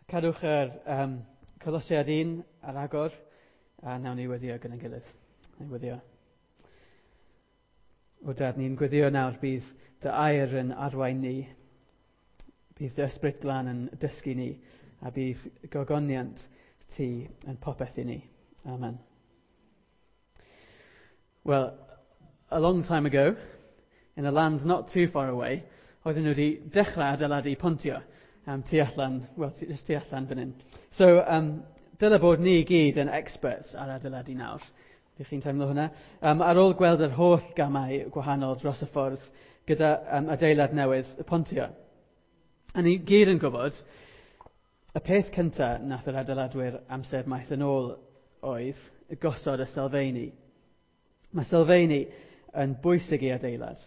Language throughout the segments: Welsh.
Cadwch yr Colosiad 1 ar agor, a nawn ni weddio gyda'n gilydd. Nawn ni weddio. O Dad, ni'n gweddio nawr bydd dy air yn arwain ni, bydd dy Ysbryd Glân yn dysgu ni, a bydd gogoniant ti yn popeth i ni. Amen. Well, a long time ago, in a land not too far away, oedden nhw wedi dechrau adeiladu pontio tu allan, well, just tu allan fan hyn. So, dyle bod ni gyd yn experts ar adeiladu nawr. Ydych chi'n teimlo hwnna? Ar ôl gweld yr holl gamau gwahanol dros y ffordd gyda adeilad newydd y pontio. A ni gyd yn gwybod, y peth cyntaf nath yr adeiladwyr amser maith yn ôl oedd gosod y sylfeini. Mae sylfeini yn bwysig i adeilad.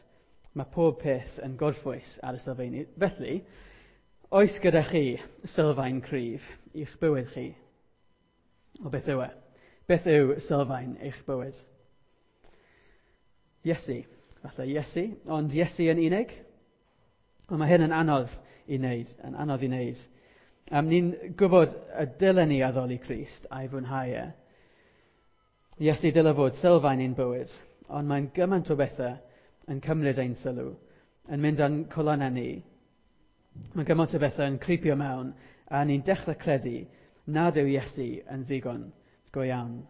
Mae pob peth yn gorffwys ar y sylfeini. Felly, oes gyda chi sylfaen cryf i'ch bywyd chi? O beth yw e? Beth yw sylfaen eich bywyd? Iesu. Falle Iesu, ond Iesu yn unig? Ond mae hyn yn anodd i wneud, yn anodd i wneud. Ni'n gwybod y dylen ni addoli Crist a'i fwynhau e. Iesu dyle fod sylfaen ein bywyd, ond mae'n gymaint o bethau yn cymryd ein sylw, yn mynd â'n colonnau ni. Mae'n gymaint o bethau yn creepio mewn, a ni'n dechrau credu nad yw Iesu yn ddigon go iawn.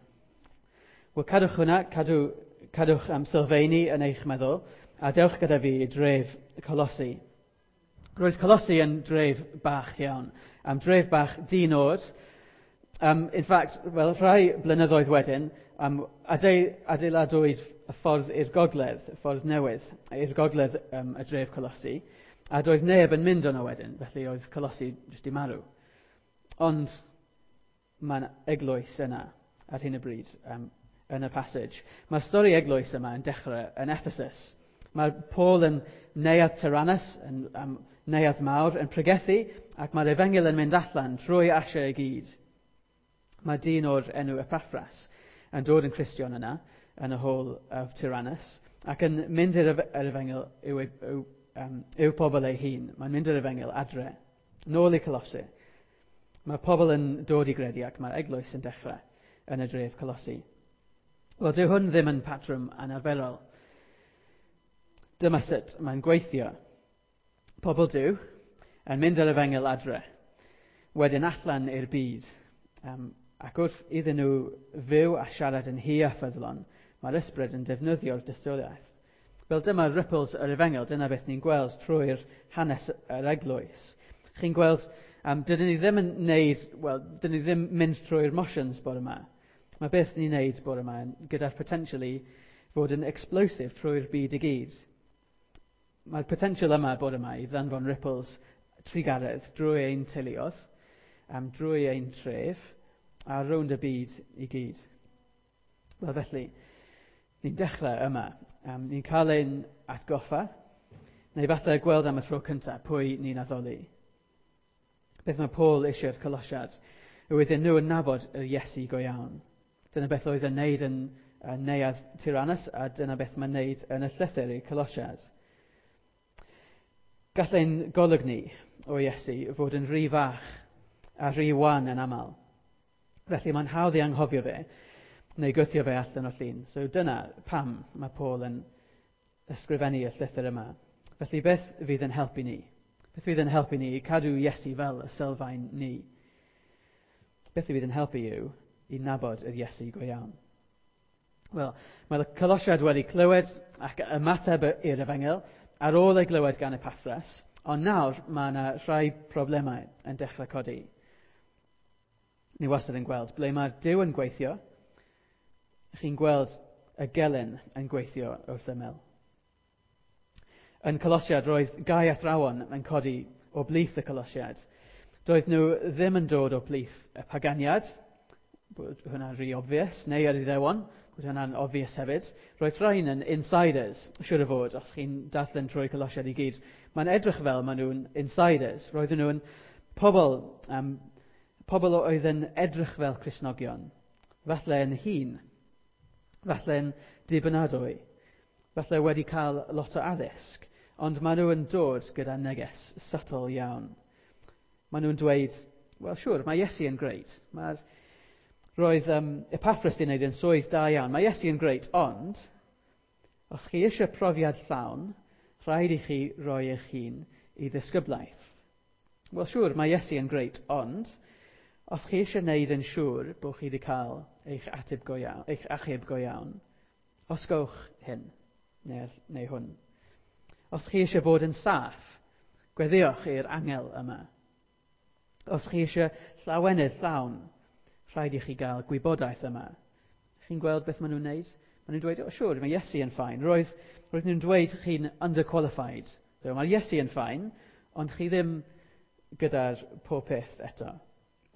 Wel, cadwch hwnna, cadwch am sylfeini yn eich meddwl, a dewch gyda fi i dref Colossi. Roedd Colossi yn dref bach iawn, am dref bach di-nod. In fact, well, rhai blynyddoedd wedyn, adeiladwyd y ffordd i'r gogledd, y ffordd newydd, i'r gogledd y dref Colossi, a doedd neb yn mynd yno wedyn, felly oedd Colossi jyst i marw. Ond mae'n eglwys yna ar hyn o bryd yn y passage. Mae'r stori eglwys yma yn dechrau yn Ephesus. Mae Paul yn neuadd Tyrannus, yn neuadd mawr, yn pregethu, ac mae'r efengyl yn mynd allan trwy Asia i gyd. Mae dyn o'r enw Epaphras yn dod yn Cristion yna, yn y Hall of Tyrannus, ac yn mynd i'r efengyl i'w pobl ei hun. Mae'n mynd i'r efengyl adre, nôl i Colossi. Mae pobl yn dod i gredu ac mae'r eglwys yn dechrau yn y dref Colossi. Wel, dyw hwn ddim yn patrwm anarferol. Dyma sut mae'n gweithio. Pobl Duw yn mynd ar efengyl adre, wedyn allan i'r byd. Ac wrth iddyn nhw fyw a siarad yn hir a ffyddlon, mae'r ysbryd yn defnyddio'r dystiolaeth. Wel, dyma ripples yr efengyl, dyna beth ni'n gweld trwy'r hanes yr eglwys. Chi'n gweld, dydyn ni ddim yn neud, wel, dydyn ni ddim mynd trwy'r motions bore yma. Mae beth ni'n neud bore yma gyda'r potential i fod yn explosive trwy'r byd i gyd. Mae'r potential yma bore yma i ddanfon ripples trugaredd drwy ein teuluodd, drwy ein tref, a rownd y byd i gyd. Wel, felly, ni'n dechrau yma. Ni'n cael ein atgoffa, neu falle gweld am y tro cyntaf pwy ni'n addoli. Beth mae Paul eisiau'r Colosiad yw iddyn nhw yn nabod yr Iesu go iawn. Dyna beth oedd yn neud yn neuadd Tyrannus, a dyna beth mae'n neud yn y llythyr i'r Colosiad. Gall ein golwg ni o Iesu fod yn rhy fach a rhy wan yn aml. Felly mae'n hawdd i anghofio fe, neu gwthio fe allan o'r llun. So dyna pam mae Paul yn ysgrifennu y llythyr yma. Felly beth fydd yn helpu ni? Beth fydd yn helpu ni i cadw Iesu fel y sylfaen ni? Beth fydd yn helpu yw i nabod yr Iesu go iawn? Wel, mae'r Colosiad wedi clywed ac ymateb i'r efengyl ar ôl ei glywed gan Epaphras, ond nawr mae yna rhai problemau yn dechrau codi. Ni wastad yn gweld ble mae Duw yn gweithio, chi'n gweld y gelyn yn gweithio wrth ymyl. Yn Colosiad roedd gau athrawon yn codi o blith y Colosiad. Doedd nhw ddim yn dod o blith y paganiad, bod hwnna'n rhy obvious, neu yr Iddewon, bod hwnna'n obvious hefyd. Roedd rhain yn insiders, siŵr o fod, os chi'n darllen trwy Colosiad i gyd. Mae'n edrych fel maen nhw'n insiders. Roedden nhw'n pobl oedd yn edrych fel Cristnogion, falle yn hŷn, falle yn dibynadwy, falle wedi cael lot o addysg, ond maen nhw yn dod gyda neges subtle iawn. Maen nhw'n dweud, Wel, siwr, mae Iesu yn greit. Roedd Epaphras di wneud yn swydd da iawn. Mae Iesu yn greit, ond os chi eisiau profiad llawn, rhaid i chi roi eich hun i ddisgyblaeth. Wel, siwr, mae Iesu yn greit, ond os chi eisiau wneud yn siŵr bod chi wedi cael eich, ateb go iawn, eich achub go iawn, osgowch hyn, neu hwn. Os chi eisiau bod yn saff, gweddiwch i'r angel yma. Os chi eisiau llawenydd llawn, rhaid i chi gael gwybodaeth yma. Chi'n gweld beth maen nhw'n wneud? Maen nhw'n dweud, "O, oh, siwr, mae Iesu yn fine." Roedd nhw'n dweud chi'n underqualified. So, mae Iesu yn fine, ond chi ddim gyda'r pob peth eto.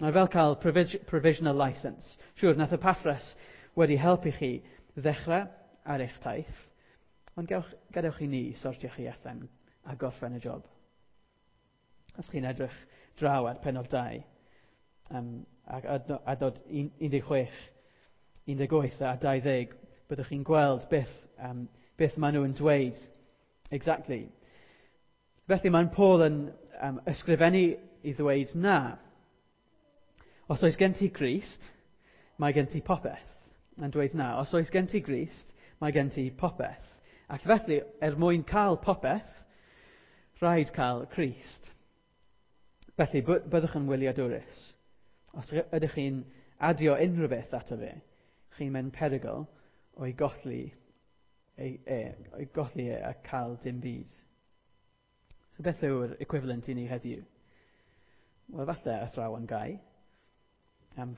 Mae fel cael provisional license. Siwr, nath Epaphras wedi helpu chi ddechrau ar eich taith, ond gadewch i ni sortio chi allan a gorffen y job. Os chi'n edrych draw at pennod 2, ac adnod 16, 18 a 20, byddwch chi'n gweld beth maen nhw'n dweud exactly. Felly mae'n Paul yn ysgrifennu i ddweud na. Os oes gen ti Grist, mae gen ti popeth. Yn dweud na. Os oes gen ti Grist, mae gen ti popeth. Ac felly, er mwyn cael popeth, rhaid cael Crist. Felly, byddwch yn wyliadwrus. Os ydych chi'n adio unrhyw beth ato fe, chi'n mynd perygl o'i golli e a cael dim byd. So beth yw'r equivalent i ni heddiw? Wel, falle athrawon gau.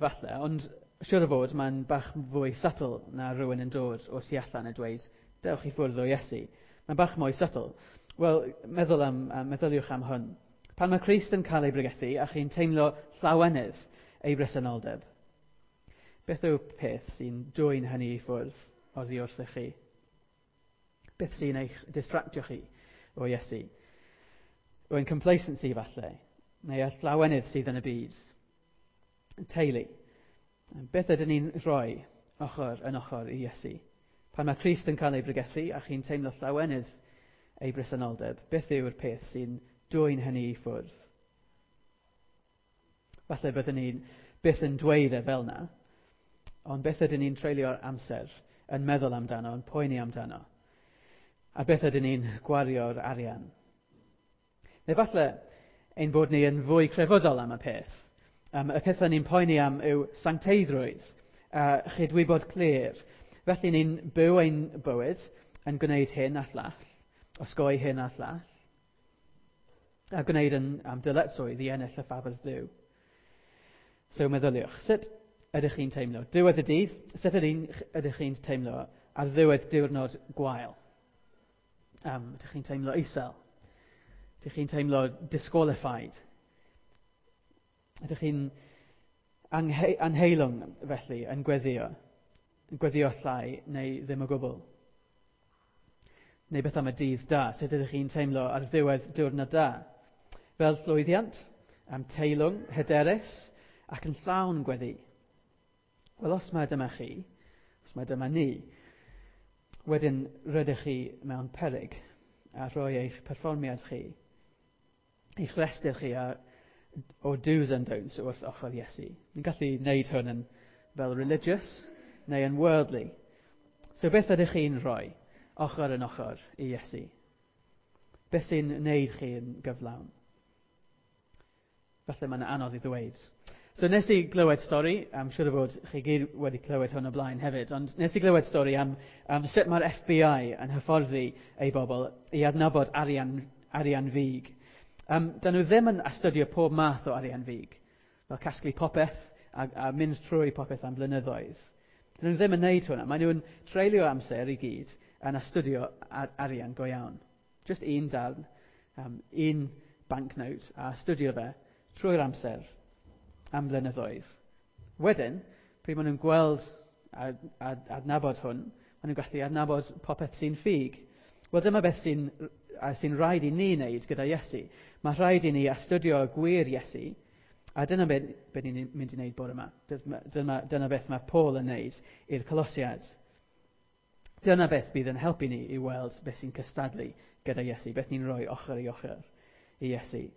Falle, ond siwr o fod mae'n bach fwy subtle na rhywun yn dod o'r tu allan a dweud, "Dewch i ffwrdd o Iesu." Mae'n bach mwy subtle. Wel, meddyliwch am hwn. Pan mae Crist yn cael ei bregethu a chi'n teimlo llawenydd ei bresenoldeb, beth yw peth sy'n dwyn hynny i ffwrdd oddi wrthych chi? Beth sy'n eich distractio chi o Iesu? Yw'n complacency falle, neu y llawenydd sydd yn y byd? Teulu. Beth ydyn ni'n rhoi ochr yn ochr i Iesu? Pan mae Crist yn cael ei bregethu a chi'n teimlo llawenydd ei bresenoldeb, beth yw'r peth sy'n dwyn hynny i ffwrdd? Falle byddwn ni'n byth yn dweud e fel na, ond beth ydyn ni'n treulio'r amser yn meddwl amdano, yn poeni amdano? A beth ydyn ni'n gwario'r arian? Neu falle ein bod ni yn fwy crefyddol am y peth. Y pethau ni'n poeni am yw sancteiddrwydd, a chydwybod clir. Felly ni'n byw ein bywyd yn gwneud hyn a llall, osgoi hyn a llall, a gwneud yn am dyletswydd i ennill y ffafr Dduw. So meddyliwch, sut ydych chi'n teimlo? Diwedd y dydd, sut ydych chi'n teimlo ar ddiwedd diwrnod gwael? Ydych chi'n teimlo isel? Ydych chi'n teimlo disqualified? Ydych chi'n anheilwng felly yn gweddio? Yn gweddio llai neu ddim o gwbl? Neu beth am y dydd da? Sut ydych chi'n teimlo ar ddiwedd diwrnod da? Fel llwyddiant, am teilwng, hyderus, ac yn llawn gweddi. Wel, os mae dyma chi, os mae dyma ni, wedyn rydych chi mewn peryg a rhoi eich perfformiad chi, eich rhestr chi o do's and don'ts wrth ochr Iesu. Ni'n gallu gwneud hwn yn fel religious neu yn worldly. So beth ydych chi'n rhoi ochr yn ochr i Iesu? Beth sy'n wneud chi yn gyflawn? Falle mae'n anodd i ddweud. So nes i glywed stori, am siŵr o fod chi gyd wedi clywed hwn o blaen hefyd, ond nes i glywed stori am sut mae'r FBI yn hyfforddi ei bobl i adnabod arian ffug. Dyn nhw ddim yn astudio pob math o arian ffug, fel casglu popeth a mynd trwy popeth am blynyddoedd. Dyn nhw ddim yn neud hwnna. Maen nhw'n treulio amser i gyd yn astudio arian go iawn. Just un darn, un banknote, a astudio fe trwy'r amser am blynyddoedd. Wedyn, pryd maen nhw'n gweld a adnabod hwn, maen nhw'n gallu adnabod popeth sy'n ffug. Wel, dyma beth sy'n rhaid i ni wneud gyda Iesu. Mae rhaid i ni astudio gwir Iesu, a dyna beth ni'n mynd i wneud bore yma. Dyna beth mae Paul yn wneud i'r Colosiad. Dyna beth bydd yn helpu ni i weld beth sy'n cystadlu gyda Iesu, beth ni'n rhoi ochr i ochr i Iesu.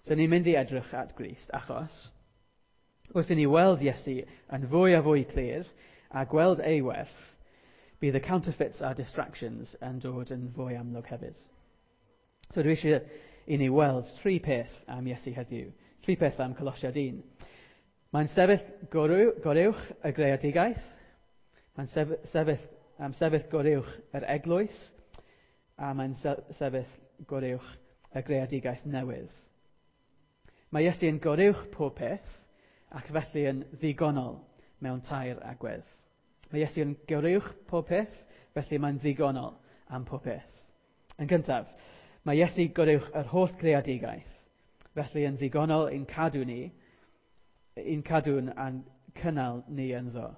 So ni'n mynd i edrych at Grist achos Wrth i ni weld Iesu yn fwy a fwy clir a gweld ei werth, bydd y counterfeits a distractions yn dod yn fwy amlwg hefyd. So dwi eisiau i ni weld tri peth am Iesu heddiw. Tri peth am Colosiad 1. Mae'n sefyll goruwch y greadigaeth. Mae'n sefyll, sefyll goruwch yr eglwys. A mae'n sefyll goruwch y greadigaeth newydd. Mae Iesu yn goruwch pob peth ac felly yn ddigonol mewn tair agwedd. Mae Iesu yn goruwch pob peth, felly mae'n ddigonol am pob peth. Yn gyntaf, mae Iesu goruwch yr holl greadigaeth, felly yn ddigonol i'n cadw ni, i'n cadw'n a'n cynnal ni ynddo.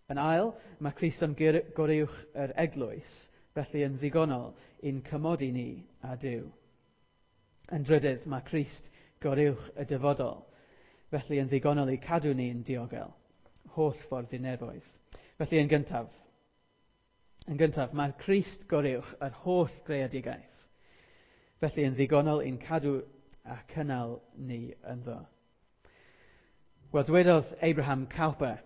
Yn ail, mae Crist yn goruwch yr eglwys, felly yn ddigonol i'n cymodi ni a Duw. Yn drydydd, mae Crist goruwch y dyfodol, felly yn ddigonol i cadw ni'n diogel, holl ffordd i nefoedd. Felly yn gyntaf, mae Crist goruwch yr holl greadigaeth, felly yn ddigonol i'n cadw a cynnal ni ynddo. Wel, dwedodd Abraham Kuyper,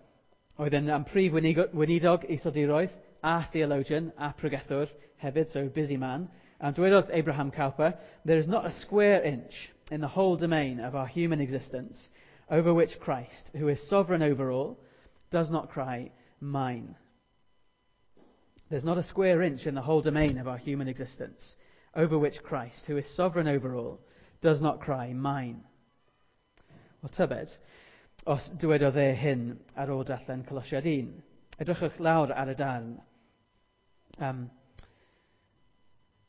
oedd yn prif weinidog Iseldiroedd, a theologian, a pregethwr hefyd, so busy man. Dwedodd Abraham Kuyper, "There is not a square inch in the whole domain of our human existence over which Christ, who is sovereign over all, does not cry, 'Mine.' There's not a square inch in the whole domain of our human existence over which Christ, who is sovereign over all, does not cry, 'Mine.'" Wel, tybed, os dywedodd e hyn ar ôl darllen Colosiad 1. Edrychwch lawr ar y darn.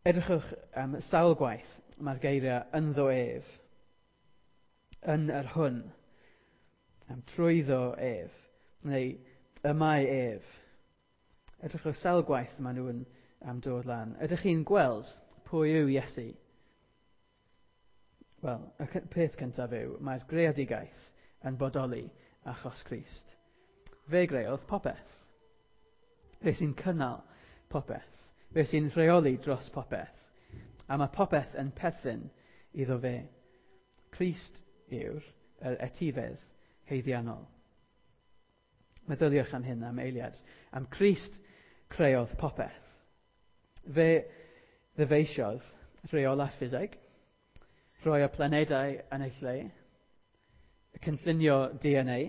Edrychwch sawl gwaith mae'r geiriau ynddo ef, yn yr hwn, trwyddo ef, neu y mae ef. Edrychwch sawl gwaith maen nhw'n dod lan. Ydych chi'n gweld pwy yw Iesu? Wel, y peth cyntaf yw, mae'r greadigaeth yn bodoli achos Crist. Fe greodd popeth. Fe sy'n cynnal popeth. Fe sy'n rheoli dros popeth. A mae popeth yn perthyn iddo fe. Crist yw'r yr etifedd haeddiannol. Meddyliwch am hyn am eiliad. Am Crist creodd popeth. Fe ddyfeisiodd rheolau ffiseg, rhoi y planedau yn eu lle, cynllunio DNA.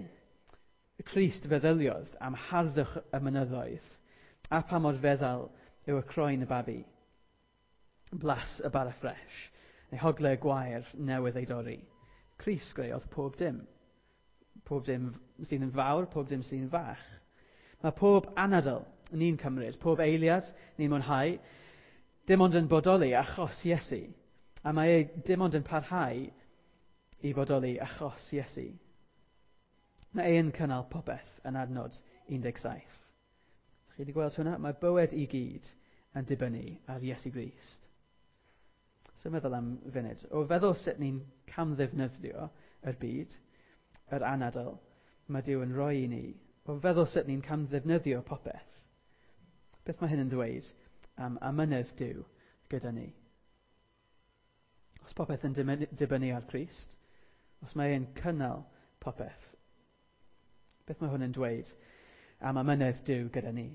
Crist feddyliodd am harddwch y mynyddoedd a pa mor feddal yw y croen y babi, blas y bara ffres, neu hogle gwair newydd ei dorri. Crist greodd pob dim. Pob dim sydd yn fawr, pob dim sydd yn fach. Mae pob anadl ni'n cymryd, pob eiliad ni'n mwynhau, dim ond yn bodoli achos Iesu. A mae e dim ond yn parhau i fodoli achos Iesu. Mae e'n cynnal popeth yn adnod 17. Chi wedi gweld hwnna? Mae bywyd i gyd yn dibynnu ar Iesu Grist. So meddwl am funud. O feddwl sut ni'n camddefnyddio yr byd, yr anadl, mae Duw yn rhoi i ni. O feddwl sut ni'n camddefnyddio popeth. Beth mae hyn yn ddweud am amynedd Duw gyda ni? Os popeth yn dibynnu ar Crist, os mae e'n cynnal popeth, beth mae hwn yn dweud am amynedd Duw gyda ni?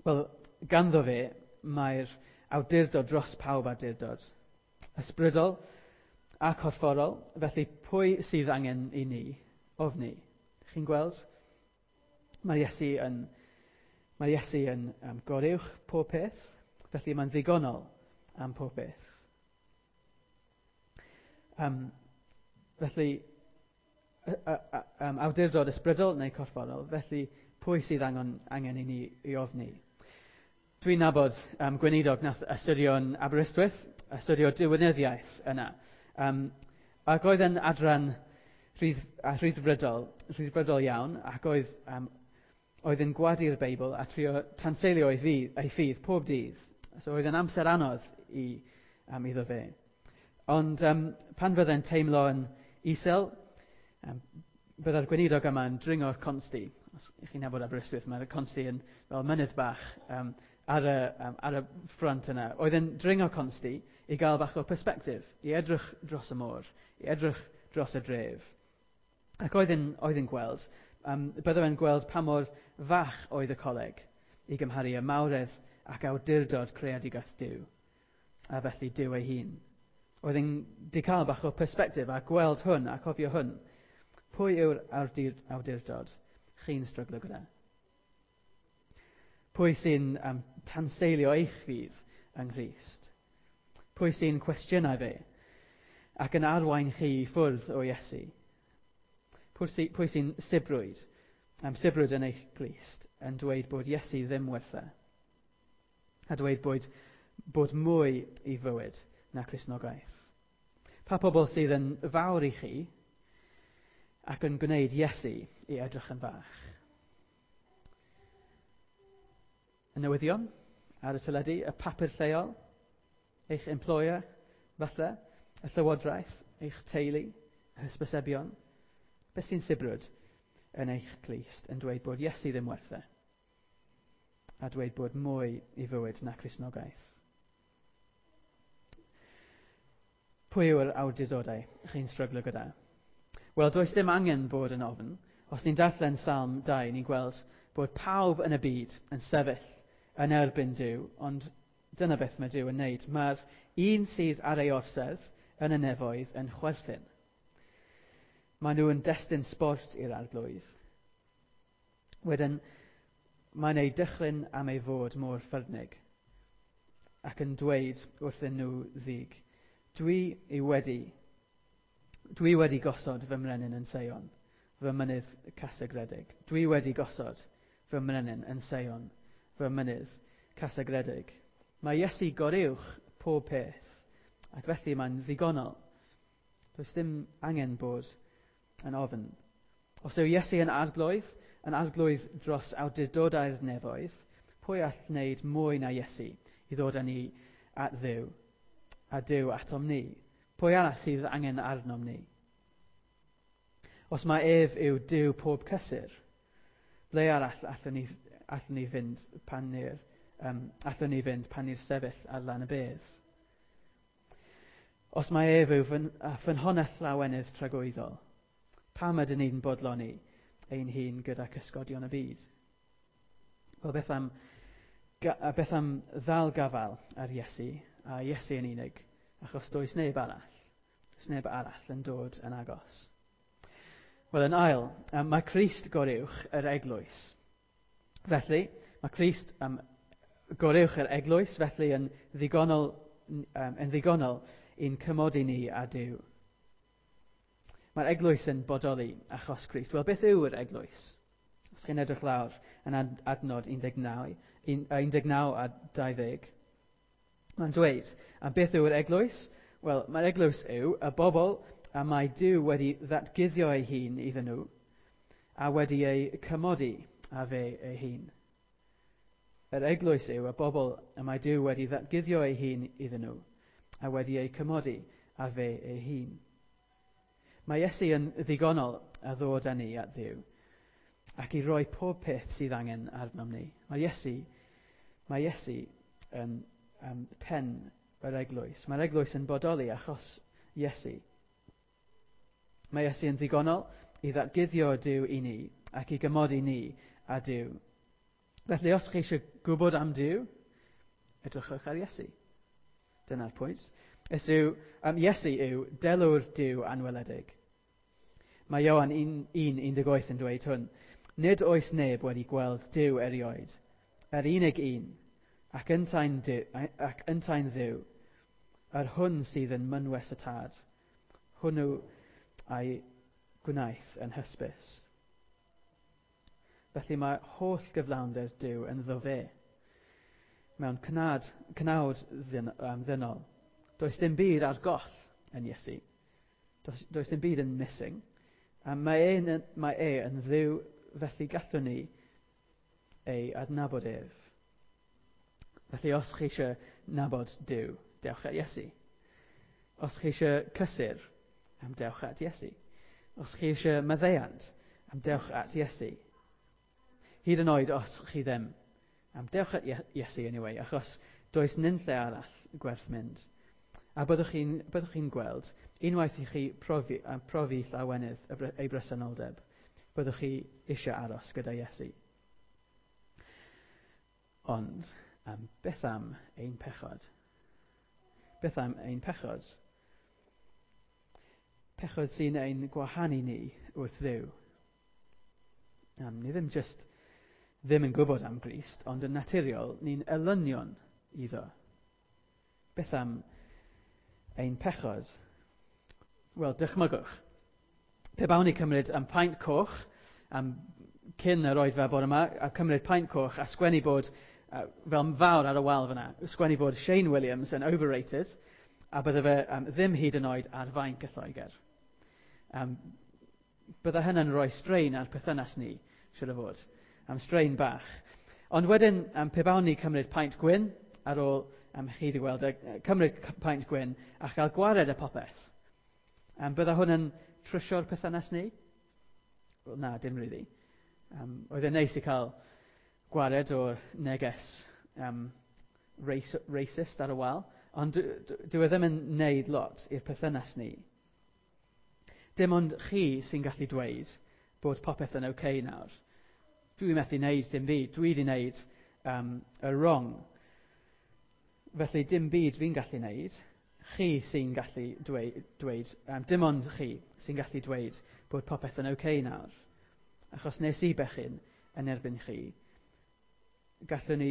Wel, ganddo fe mae'r awdurdod dros pawb awdurdod. Ysbrydol a corfforol, felly pwy sydd angen i ni ofni? Chi'n gweld? Mae Iesu yn goruwch pob peth, felly mae'n ddigonol am pob peth. Felly, awdurdod ysbrydol neu corfforol, felly pwy sydd angen i ni i ofni? Dwi'n nabod gweinidog nath astudio yn Aberystwyth, astudio diwinyddiaeth yna. Ac oedd yn adran rhyddfrydol iawn, ac oedd yn gwadu'r Beibl a trio tanseilio ei ffydd pob dydd. So oedd yn amser anodd iddo fe. Ond pan fydde'n teimlo yn isel, bydde'r gweinidog yma yn dringo'r Consti. Os chi'n nabod Aberystwyth, mae'r Consti yn fel mynydd bach ar y ffrant yna. Oedd yn dringo Consti i gael bach o perspective, i edrych dros y môr, i edrych dros y dref. Ac oedd yn gweld, bydde fe'n gweld pa mor fach oedd y coleg i gymharu y mawredd ac awdurdod creadigaeth Duw, a felly Duw ei hun. Oedd yn di cael bach o perspectif a gweld hwn a cofio hwn. Pwy yw'r awdurdod chi'n stryglo gyda? Pwy sy'n tanseilio eich ffydd yng Nghrist? Pwy sy'n cwestiynau fe ac yn arwain chi i ffwrdd o Iesu? Pwy sy'n sibrwyd, sibrwyd yn eich glust yn dweud bod Iesu ddim werth e? A dweud bod mwy i fywyd na Cristnogaeth. Pa pobl sydd yn fawr i chi ac yn gwneud Iesu i edrych yn fach? Y newyddion ar y teledu, y papur lleol, eich employer, falle, y llywodraeth, eich teulu, y hysbysebion. Beth sy'n sibrwd yn eich clust yn dweud bod Iesu ddim werth e? A dweud bod mwy i fywyd na Cristnogaeth. Pwy yw'r awdurdodau chi'n stryglo gyda? Wel, does dim angen bod yn ofn. Os ni'n darllen Salm 2, ni'n gweld bod pawb yn y byd yn sefyll yn erbyn Duw, ond dyna beth mae Duw yn wneud. Mae'r un sydd ar ei orsedd yn y nefoedd yn chwerthin. Maen nhw yn destun sbort i'r arglwydd. Wedyn, mae'n ei dychryn am ei fod mor ffyrnig ac yn dweud wrthyn nhw ddig, dwi wedi gosod fy mrenin yn Seion, fy mynydd casegredig. Dwi wedi gosod fy mrenin yn Seion, fy mynydd casegredig. Mae Iesu goruwch pob peth, ac felly mae'n ddigonol. Does dim angen bod yn ofn. Os yw Iesu yn arglwydd dros awdurdodau'r nefoedd, pwy all wneud mwy na Iesu i ddod â ni at Dduw, a Duw atom ni? Pwy arall sydd angen arnom ni? Os mae ef yw Duw pob cysur, ble arall allwn ni fynd pan ni'r sefyll ar lan y bedd? Os mae ef yw ffynhonnell lawenydd tragwyddol, pam ydyn ni'n bodloni ein hun gyda cysgodion y byd? Wel, beth am ddal gafael ar Iesu, a Iesu yn unig, achos does neb arall yn dod yn agos. Wel, yn ail, mae Crist goruwch yr eglwys. Felly, mae Crist goruwch yr eglwys, felly yn ddigonol i'n cymodi ni â Duw. Mae'r eglwys yn bodoli achos Crist. Wel, beth yw'r eglwys? Os chi'n edrych lawr yn adnod 19 a 20, mae'n dweud, a beth yw'r eglwys? Wel, mae'r eglwys yw y bobl a mae Duw wedi ddatguddio ei hun iddyn nhw a wedi ei cymodi â fe ei hun. Yr eglwys yw y bobl y mae Duw wedi ddatguddio ei hun iddyn nhw a wedi ei cymodi â fe ei hun. Mae Iesu yn ddigonol a ddod â ni at Dduw ac i roi pob peth sydd angen arnom ni. Mae Iesu yn pen yr eglwys. Mae'r eglwys yn bodoli achos Iesu. Mae Iesu yn ddigonol i ddatguddio Duw i ni ac i gymodi ni â Duw. Felly os chi eisiau gwybod am Duw, edrychwch ar Iesu. Dyna'r pwynt. Iesu yw delw'r Duw anweledig. Mae Ioan 1:18 yn dweud hwn. Nid oes neb wedi gweld Duw erioed, yr unig un, ac yntau'n Dduw, yr hwn sydd yn mynwes y tad, hwnnw a'i gwnaeth yn hysbys. Felly mae holl gyflawnder Duw ynddo fe, mewn cnawd ddynol. Does dim byd ar goll yn Iesu. Does dim byd yn missing. A mae e yn Dduw, felly gallwn ni ei adnabod ef. Felly os chi eisiau nabod Duw, dewch at Iesu. Os chi eisiau cysur, dewch at Iesu. Os chi eisiau maddeuant, dewch at Iesu. Hyd yn oed os chi ddim, dewch at Iesu anyway, achos does nunlle arall gwerth mynd. A byddwch chi'n byddwch chi gweld, unwaith i chi profi llawenydd ei bresenoldeb, byddwch chi eisiau aros gyda Iesu. Ond, beth am ein pechod? Beth am ein pechod? Pechod sy'n ein gwahanu ni wrth Dduw. Ni ddim just ddim yn gwybod am Grist, ond yn naturiol ni'n elynion iddo. Beth am ein pechod? Wel, dychmygwch. Pe bawn ni cymryd am paent coch, am cyn yr oedfa bore yma, a cymryd paent coch a sgwennu bod, fel fawr ar y wal fyna, sgwennu bod Shane Williams yn overrated, a bydde fe ddim hyd yn oed ar fainc y Lloegr. Bydde hynny'n rhoi straen ar perthynas ni, siwr o fod. Am straen bach. Ond wedyn, pe bawn ni cymryd paent gwyn, ar ôl chi wedi gweld, cymryd paent gwyn a chael gwared y popeth. Bydde hwn yn trwsio'r perthynas ni? Wel, na, dim really. Oedd e'n neis i cael gwared o'r neges racist ar y wal, ond dyw e ddim yn neud lot i'r perthynas ni. Dim ond chi sy'n gallu dweud bod popeth yn okay nawr. Dwi methu neud dim byd. Dwi wedi neud y wrong. Felly dim byd fi'n gallu neud. Chi sy'n gallu dweud, dim ond chi sy'n gallu dweud bod popeth yn okay nawr. Achos nes i bechu'n yn erbyn chi, gallwn ni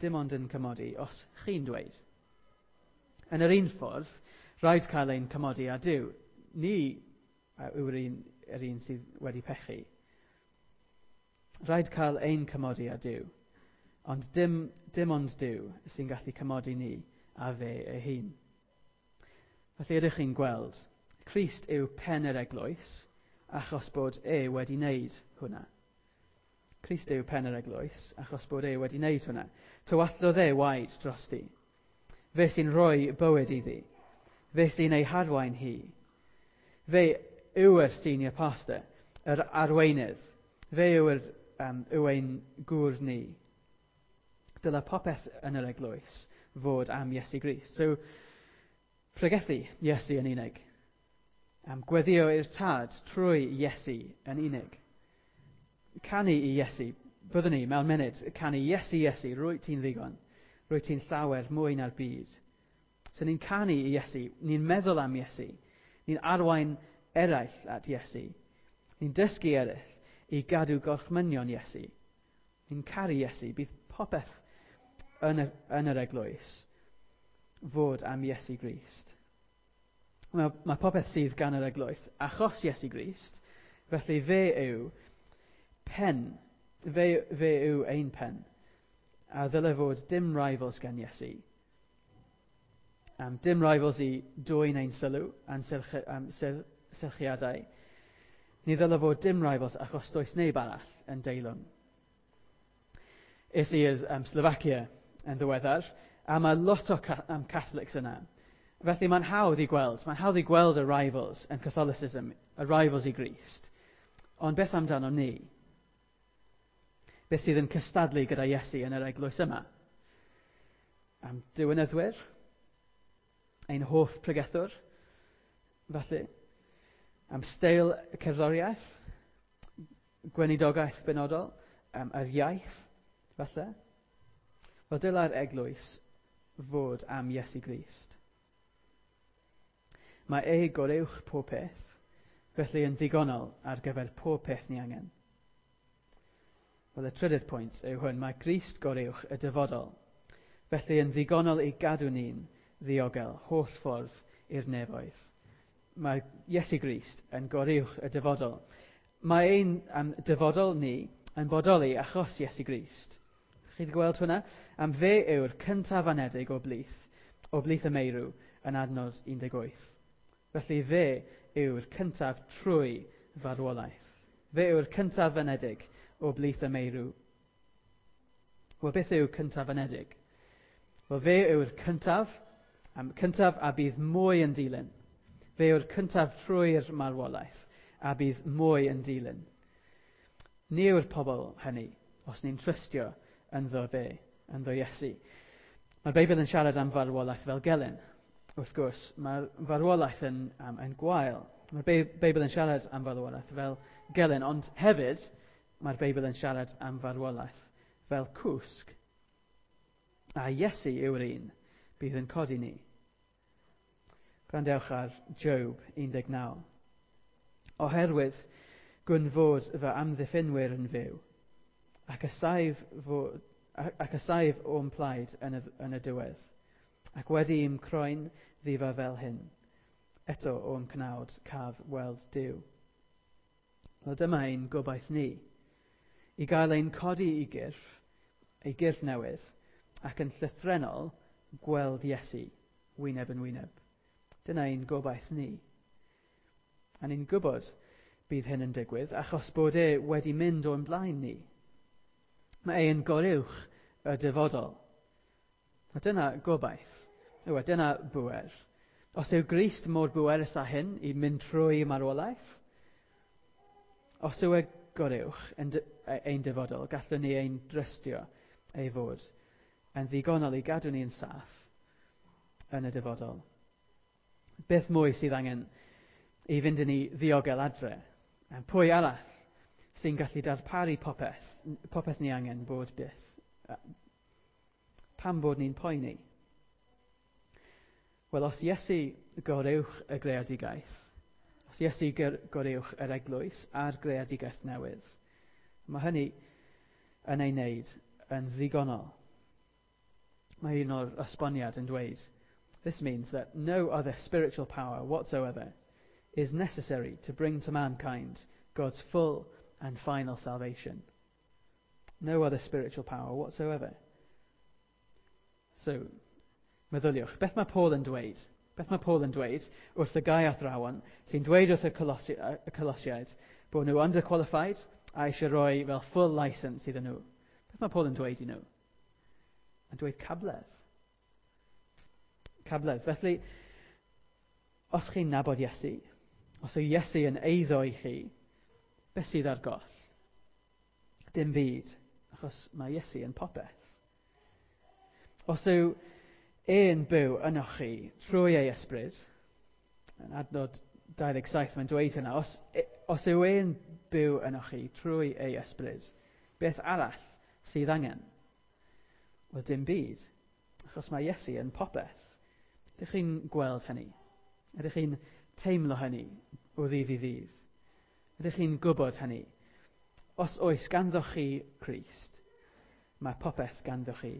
dim ond yn cymodi os chi'n dweud. Yn yr un ffordd, rhaid cael ein cymodi â Duw. Ni yw'r un sydd wedi pechu. Rhaid cael ein cymodi â Duw, ond dim ond Duw sy'n gallu cymodi ni a fe ei hun. Felly ydych chi'n gweld, Crist yw pen yr eglwys, achos bod e wedi wneud hwnna. Crist yw pen yr eglwys, achos bod e wedi wneud hwnna. Tywallodd e waed drosti. Fe sy'n rhoi bywyd iddi. Fe sy'n ei harwain hi. Fe yw'r senior pastor, yr arweinydd. Fe yw ein gŵr ni. Dyle popeth yn yr eglwys fod am Iesu Grist. So, pregethu Iesu yn unig. Am gweddio i'r Tad trwy Iesu yn unig. Canu i Iesu, byddwn ni mewn munud, canu Iesu, Iesu, rwyt ti'n ddigon. Rwyt ti'n llawer mwy na'r byd. So ni'n canu i Iesu, ni'n meddwl am Iesu, ni'n arwain eraill at Iesu. Ni'n dysgu eraill i gadw gorchmynion Iesu. Ni'n caru Iesu, bydd popeth yn yr eglwys fod am Iesu Grist. Mae popeth sydd gan yr eglwys achos Iesu Grist, felly fe yw pen, fe yw ein pen, a ddyle fod dim rivals gan Iesu. Dim rivals i dwyn ein sylw a'n sylchiadau. Ni ddyle fod dim rivals achos does neb arall yn deilwng. Es i i'r Slovacia yn ddiweddar, a mae lot o Catholics yna. Felly mae'n hawdd i gweld y rivals yn Catholicism, y rivals i Grist. Ond beth amdano ni? Beth sydd yn cystadlu gyda Iesu yn yr eglwys yma? Am diwinyddwyr? Ein hoff pregethwr? Felly, am steil cerddoriaeth? Gweinidogaeth benodol? Yr iaith? Falle? Wel, dylai'r eglwys fod am Iesu Grist. Mae e goruwch pob peth, felly yn ddigonol ar gyfer pob peth ni angen. Wel, y trydydd pwynt yw hwn, mae Grist goruwch y dyfodol, felly yn ddigonol i gadw ni'n ddiogel holl ffordd i'r nefoedd. Mae Iesu Grist yn goruwch y dyfodol. Mae ein dyfodol ni yn bodoli achos Iesu Grist. Chi wedi gweld hwnna? Am fe yw'r cyntaf anedig o blith y meirw yn adnod 18. Felly fe yw'r cyntaf trwy farwolaeth. Fe yw'r cyntaf anedig o blith y meirw. Wel, beth yw cyntaf anedig? Wel, fe yw'r cyntaf, cyntaf a bydd mwy yn dilyn. Fe yw'r cyntaf trwy'r marwolaeth a bydd mwy yn dilyn. Ni yw'r pobl hynny, os ni'n trystio ynddo fe, ynddo Iesu. Mae'r Beibl yn siarad am farwolaeth fel gelyn. Wrth gwrs, mae'r farwolaeth yn gwael. Mae'r Beibl yn siarad am farwolaeth fel gelyn, ond hefyd mae'r Beibl yn siarad am farwolaeth fel cwsg. A Iesu yw'r un bydd yn codi ni. Gwrandewch ar Job 19. Oherwydd gwn fod fy amddiffynwyr yn fyw, ac y saif o'm plaid yn y diwedd, ac wedi i'm croen ddifa fel hyn, eto o'm cnawd caf weld Duw. Wel, dyma ein gobaith ni, i gael ein codi i gyrff, ei gyrff newydd, ac yn llythrennol gweld Iesu wyneb yn wyneb. Dyna ein gobaith ni. A ni'n gwybod bydd hyn yn digwydd achos bod e wedi mynd o'n blaen ni. Mae e'n goruwch y dyfodol. A dyna gobaith. Yw, dyna bŵer. Os yw Grist mor bwerus â hyn i mynd trwy marwolaeth, os yw e goruwch ein dyfodol, gallwn ni ein drystio ei fod yn ddigonol i gadw ni'n saff yn y dyfodol. Beth mwy sydd angen i fynd yn ei ddiogel adre? A pwy arall sy'n gallu darparu popeth ni angen bod byth? Pam bod ni'n poeni? Wel, os Iesu goruwch y greadigaeth, os Iesu goruwch yr eglwys a'r greadigaeth newydd, mae hynny yn ei wneud yn ddigonol. Mae un o'r esboniad yn dweud, This means that no other spiritual power whatsoever is necessary to bring to mankind God's full and final salvation. No other spiritual power whatsoever. So, meddyliwch, beth mae Paul yn dweud? Beth mae Paul yn dweud wrth y gai athrawon sy'n dweud wrth y Colossiaid bod nhw underqualified a eisiau rhoi fel full license iddyn nhw? Beth mae Paul yn dweud i nhw? Yn dweud cabledd. Cabledd. Felly, os chi'n nabod Iesu, os yw Iesu yn eiddo i chi, beth sydd ar goll? Dim byd, achos mae Iesu yn popeth. Os yw e'n byw ynoch chi trwy ei ysbryd, yn adnod 27 mae'n dweud hynna, os yw e'n byw ynoch chi trwy ei ysbryd, beth arall sydd angen? Wel, dim byd, achos mae Iesu yn popeth. Ydych chi'n gweld hynny? Ydych chi'n teimlo hynny o ddydd i ddydd? Ydych chi'n gwybod hynny? Os oes ganddoch chi Crist, mae popeth ganddoch chi.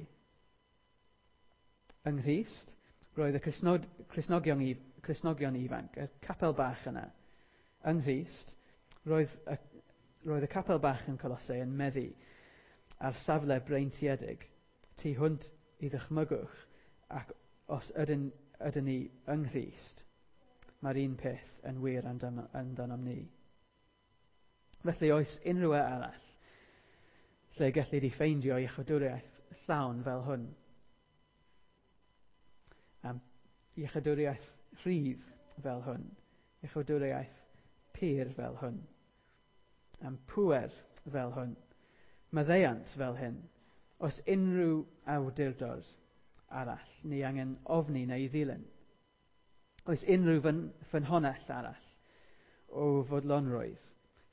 Yng Nghrist, roedd y Cristnogion ifanc, y capel bach yna. Yng Nghrist, roedd y capel bach yn Colossae yn meddu ar safle breintiedig tu hwnt i ddychmygwch, ac os ydyn ni yng Nghrist, mae'r un peth yn wir amdanom ni. Felly oes unrhyw e arall lle gelli di ffeindio iechydwriaeth llawn fel hwn? Am iechydwriaeth rhydd fel hwn, iechydwriaeth pur fel hwn, am pŵer fel hwn, maddeuant fel hyn. Oes unrhyw awdurdod arall ni angen ofni neu ddilyn? Oes unrhyw ffynhonnell arall o fodlonrwydd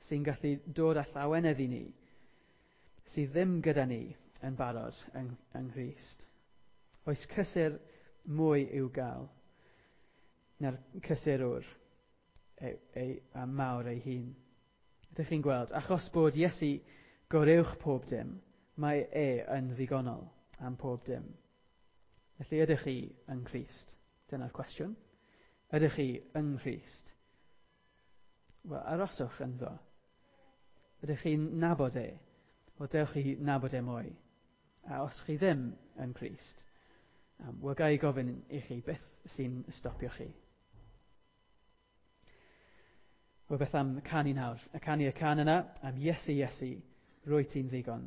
sy'n gallu dod â llawenydd i ni sydd ddim gyda ni yn barod yng Nghrist? Oes cysur mwy i'w gael na'r cysurwr a mawr ei hun? Ydych chi'n gweld, achos bod Iesu goruwch pob dim, mae e yn ddigonol am pob dim. Felly ydych chi yng Nghrist? Dyna'r cwestiwn. Ydych chi yng Nghrist? Wel, aroswch ynddo. Ydych chi'n nabod e? Wel, dewch chi nabod e mwy. A os chi ddim yn Crist, wel, ga i gofyn i chi beth sy'n stopio chi? Wel, beth am canu nawr? Y canu y can yna, am Iesu, Iesu, rwy ti'n ddigon,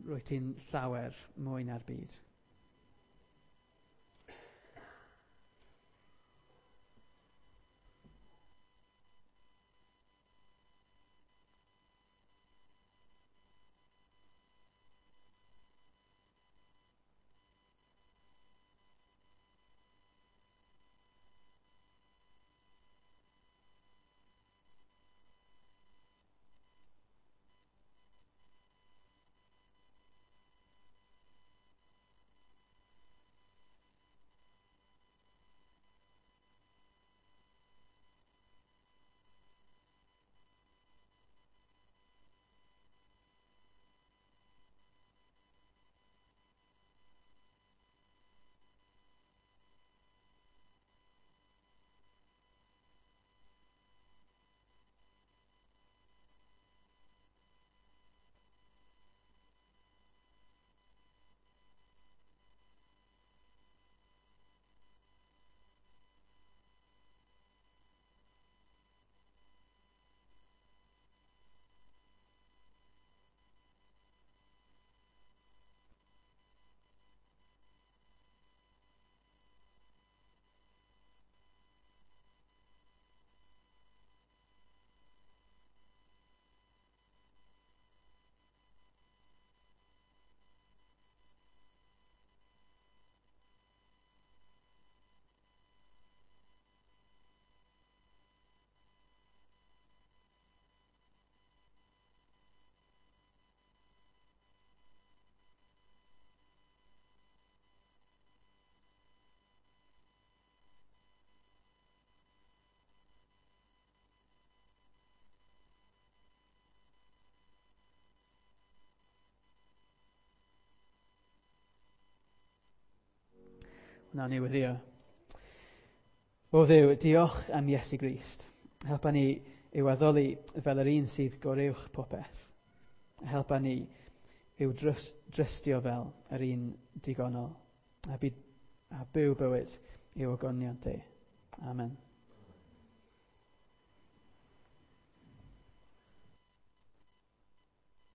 rwy ti'n llawer mwy na'r byd. Nawn ni weddio. O Dduw, diolch am Iesu Grist. Helpa ni i'w addoli fel yr un sydd goruwch popeth. Helpa ni i'w drystio fel yr un digonol. A, by, a byw bywyd i'w ogoniant e. Amen.